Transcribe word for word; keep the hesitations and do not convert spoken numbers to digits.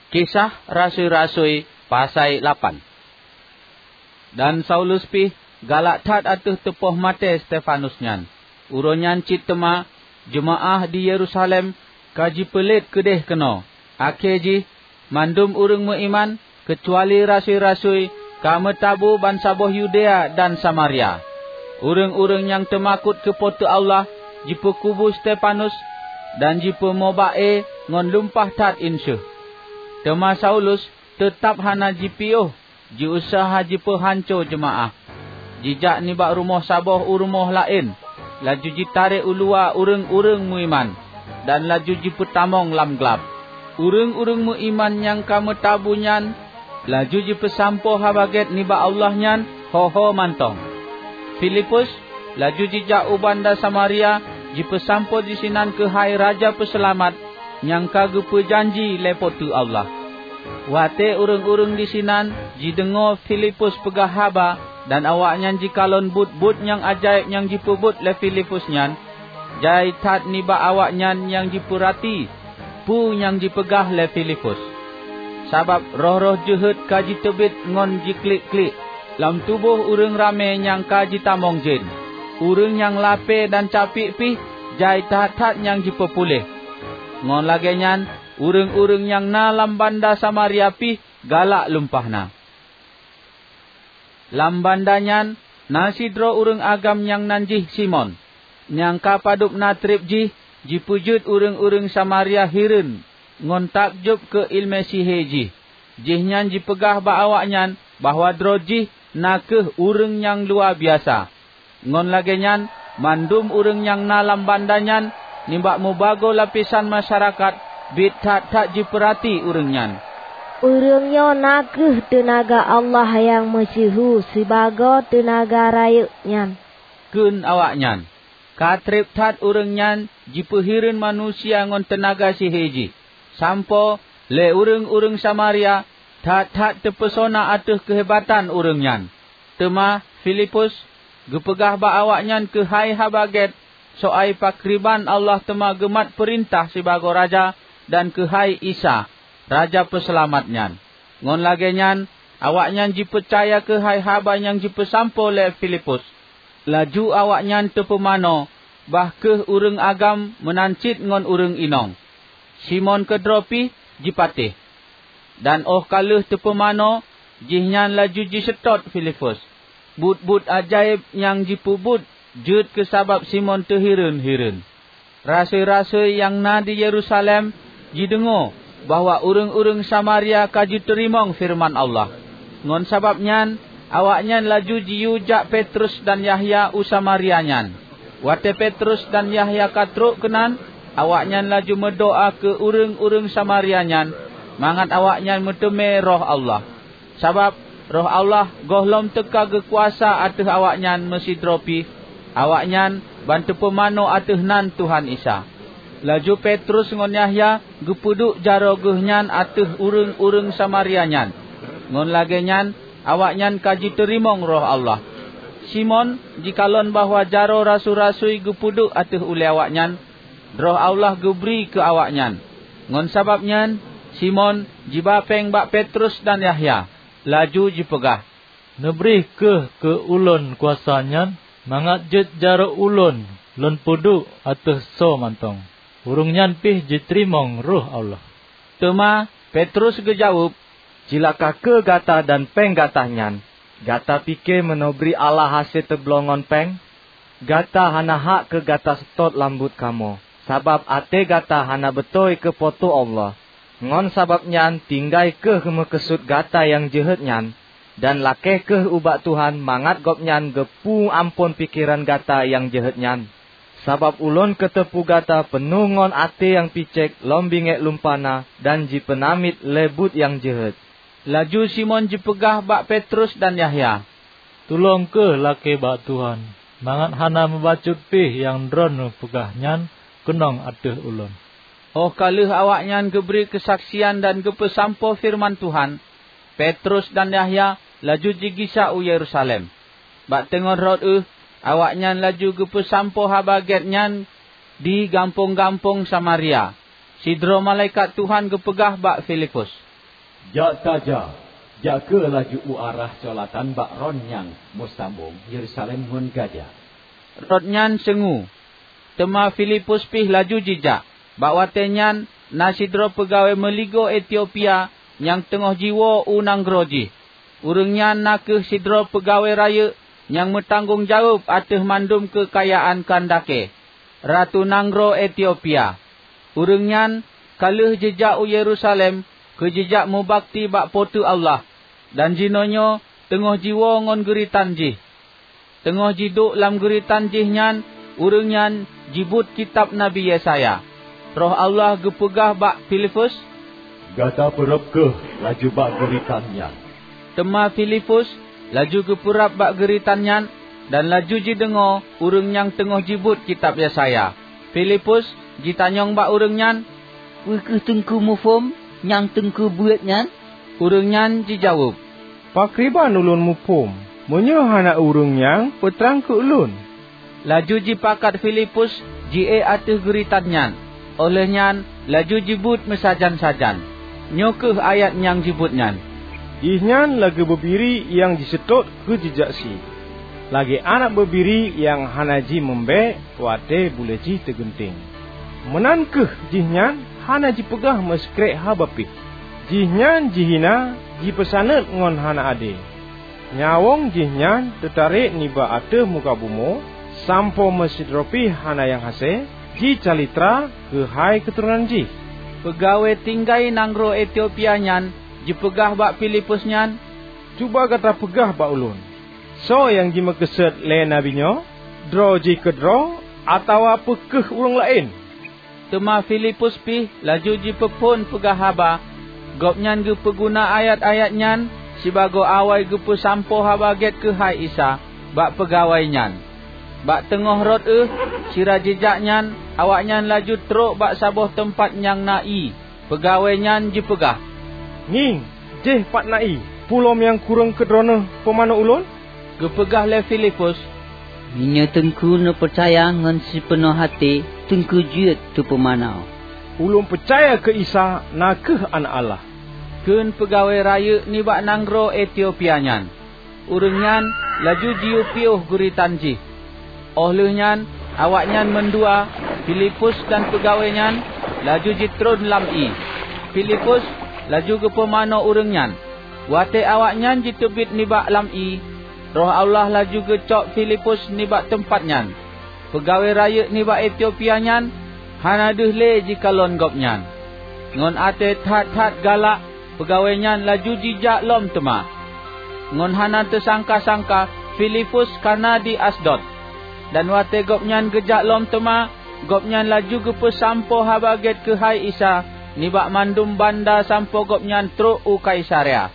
Kisah Rasui-rasui pasai lapan. Dan Saulus pih galak that ateueh teupoh maté Stefanus nyan. Uroe nyan cit teuma jeumaáh di Yerusalem ka jipeulet keudeh keunoe. Akhé jih, mandum ureuëng meuiman, keucuali rasui-rasui, ka meutabu bansaboh Yudea dan Samaria. Ureuëng-ureuëng nyang teumakot keu Po teu Allah jipeukubu Stefanus dan jipeumoba-e ngon lumpah that inseuh. Teuma Saulus teutab hana jipiôh jiuseuha jipeuhanco jeumaáh. Jijak nibak rumoh saboh u rumoh laén, laju jitarek u luwa ureuëng-ureuëng meuiman, dan laju jipeutamong lam glab. Ureuëng-ureuëng meuiman nyang ka meutabu nyan laju jipeusampoe Haba Gét nibak Allah nyan ho-ho mantong. Filipus laju jijak u banda Samaria jipeusampoe disinan keuhai Raja Peuseulamat nyang ka geupeujanji lé Po teu Allah. Watée ureuëng-ureuëng disinan jideungoe Filipus peugah haba dan awaknyan jikalon buet-buet nyang ajaéb nyang jipeubuet lé Filipus nyan, jai that nibak awaknyan nyang jipeurati peue nyang jipeugah lé Filipus. Sabab roh-roh jeuhet ka jiteubiet ngon jiklik-klik, lam tuboh ureuëng ramé nyang ka jitamong jén. Ureuëng nyang lapée dan capiek pih jai that-that nyang jipeupuléh. Ngon lagée nyan, ureuëng-ureuëng nyang na lam banda Samaria pih galak lumpah na. Lam banda nyan na sidroe ureuëng agam nyang nan jih Simon. Nyang ka padub na treb jih jipeujeuet ureuëng-ureuëng Samaria hireuen ngon takjub keu iéleumé sihé jih. Jihnyan jipeugah bak awaknyan bahwa droe jih na kheueh ureuëng nyang luwa biasa. Ngon lagée nyan, mandum ureuëng nyang na lam banda nyan nibak mubagoe lapisan masyarakat biet that-that jipeurati ureuëng nyan. "Ureuëng nyoe na kheueh teunaga Allah nyang meusyeuhu sibagoe teunaga rayeuk nyan," kheun awaknyan. Ka treb that ureuëng nyan jipeuhireuen manusia ngon teunaga sihé jih, sampoe lé ureuëng-ureuëng Samaria that-that teupeusona ateueh keuhebatan ureuëng nyan. Teuma Filipus geupeugah bak awaknyan keuhai Haba Gét soai pakriban Allah teuma geumat peurintah sibagoe Raja dan keuhai Isa, Raja Peuseulamat nyan. Ngon lagée nyan, awaknyan jipeucaya keuhai haba nyang jipeusampoe lé Filipus. Laju awaknyan teupeumanoe, bah kheueh ureuëng agam meunan cit ngon ureuëng inong. Simon keudroe pih jipatéh. Dan óh ka lheueh teupeumanoe, jihnyan laju jiseutôt Filipus. Buet-buet ajaéb nyang jipeubuet jeuet keu sabab Simon teuhireuen-hireuen. Rasui-rasui nyang na di Yerusalem jideungoe bahwa ureuëng-ureuëng Samaria ka jiteurimong feureuman Allah. Ngon sabab nyan, awaknyan laju jiyue jak Petrus dan Yahya u Samaria nyan. Watée Petrus dan Yahya ka trok keunan, awaknyan laju meudoá keu ureuëng-ureuëng Samaria nyan mangat awaknyan meuteumé Roh Allah. Sabab Roh Allah gohlom teuka geukuasa ateueh awaknyan meusidroe pih, awaknyan ban teupeumanoe ateueh nan Tuhan Isa. Laju Petrus ngon Yahya geupeuduek jaroe geuhnyan ateueh ureuëng-ureuëng Samaria nyan. Ngon lagée nyan, awaknyan ka jiteurimong Roh Allah. Simon jikalon bahwa jaroe rasui-rasui geupeuduek ateueh ulée awaknyan, Roh Allah geubri keu awaknyan. Ngon sabab nyan, Simon jiba péng bak Petrus dan Yahya, laju jipeugah, "Neubri kheueh keu ulôn kuasa nyan, mangat jeuet jaroe ulôn lôn peuduek ateueh soe mantong." Ureuëng nyan pih jiteurimong Roh Allah. Teuma Petrus geujaweueb, "Cilaka kheueh gata dan péng gata nyan! Gata pike meunoe bri Allah hase teubloe ngon péng? Gata hana hak keu gata seutôt lam buet kamoe, sabab até gata hana beutôi keu Po teu Allah. Ngon sabab nyan tinggai kheueh meukeusut gata nyang jeuhet nyan, dan lakée kheueh ubak Tuhan mangat Gobnyan geupeu amphon pikeran gata nyang jeuhet nyan. Sabab ulôn kateupeue gata peunoh ngon até nyang picék lom bingék lumpana dan jipeunamiet lé buet nyang jeuhet." Laju Simon jipeugah bak Petrus dan Yahya, "Tulông kheueh lakée bak Tuhan, mangat hana meubacut pih nyang droeneueh peugah nyan keunong ateueh ulôn." Óh ka lheueh awaknyan geubri keusaksian dan geupeusampoe feureuman Tuhan, Petrus dan Yahya laju jigisa u Yerusalem. Bak teungoh rot ueh, awaknyan laju geupeusampoe Haba Gét nyan di gampông-gampông Samaria. Sidroe malaikat Tuhan geupeugah bak Filipus, "Jak tajak, jak kheueh laju u arah Colatan bak Rot nyang meusambong Yerusalem ngon Gaza." Rot nyan seungue, teuma Filipus pih laju jijak. Bak watée nyan na sidroe peugawée meuligoe Etiopia nyang teungoh jiwoe u nanggroe jih. Ureuëng nyan na kheueh sidroe peugawée rayeuk nyang meutanggong jaweueb ateueh mandum keukayaan Kandake, ratu nanggroe Etiopia. Ureuëng nyan ka lheueh jijak u Yerusalem keu jijak meubakti bak Po teu Allah, dan jinoenyoe teungoh jiwoe ngon geuritan jih. Teungoh jiduek lam geuritan jih nyan, ureuëng nyan jibuet kitab Nabi Yesaya. Roh Allah geupeugah bak Filipus, "Gata peurab kheueh laju bak geuritan nyan." Teuma Filipus laju geupeurab bak geuritan nyan, dan laju jideungoe ureuëng nyang teungoh jibuet kitab Yesaya. Filipus jitanyong bak ureuëng nyan, "Peu kheueh Teungku muphom nyang Teungku beuet nyan?" Ureuëng nyan jijaweueb, "Pakriban ulôn muphom, meunyoe hana ureuëng nyang peutrang keu ulôn?" Laju jipakat Filipus jiék ateueh geuritan nyan. Óh lheueh nyan laju jibuet meusajan-sajan. Nyoe kheueh ayat nyang jibuet nyan, "Jihnyan lagée beubiri nyang jiseutôt keu jijak sie, lagée aneuëk beubiri nyang hana jimeumbée watée buleue jih teugeunteng. Meunan kheueh jihnyan hana jipeugah meusikrek haba pih. Jihnyan jihina, jipeusaneut ngon hana adé. Nyawöng jihnyan teutarek nibak ateueh muka bumoe, sampoe meusidroe pih hana nyang hase jicalitra keuhai keuturonan jih." Peugawée tinggai nanggroe Etiopia nyan jipeugah bak Filipus nyan, "Cuba gata peugah bak ulôn, soe nyang jimeukeusut lé nabi nyoe? Droe jih keudroe atawa peu kheueh ureuëng laén?" Teuma Filipus pih laju jipeuphon peugah haba. Gobnyan geupeuguna ayat-ayat nyan sibagoe awai geupeusampoe Haba Gét keuhai Isa bak peugawée nyan. Bak teungoh rot ueh sira jijak nyan, awaknyan laju trok bak saboh teumpat nyang na ié. Peugawée nyan jipeugah, "Ngieng, jéh pat na ié! Peue lom nyang kureueng keu droeneueh peumanoe ulôn?" Geupeugah lé Filipus, "Meunyoe Teungku neupeucaya ngon sipeunoh até, Teungku jeuet teupeumanoe." "Ulôn peucaya keu Isa na kheueh Aneuëk Allah," kheun peugawée rayeuk nibak nanggroe Etiopia nyan. Ureuëng nyan laju jiyue piôh geuritan jih. Óh lheueh nyan, awaknyan mandua, Filipus dan peugawée nyan, laju jitron lam ié. Filipus laju geupeumanoe ureuëng nyan. Watée awaknyan jiteubiet nibak lam ié, Roh Allah laju geucok Filipus nibak teumpat nyan. Peugawée rayeuk nibak Etiopia nyan hana deuh lé jikalon gobnyan. Ngon até that-that galak, peugawée nyan laju jijak lom teuma. Ngon hana teusangka-sangka, Filipus ka na di Asdod. Dan watée gobnyan geujak lom teuma, gobnyan laju geupeusampoe Haba Gét keuhai Isa nibak mandum banda sampoe gobnyan trok u Kaisarea.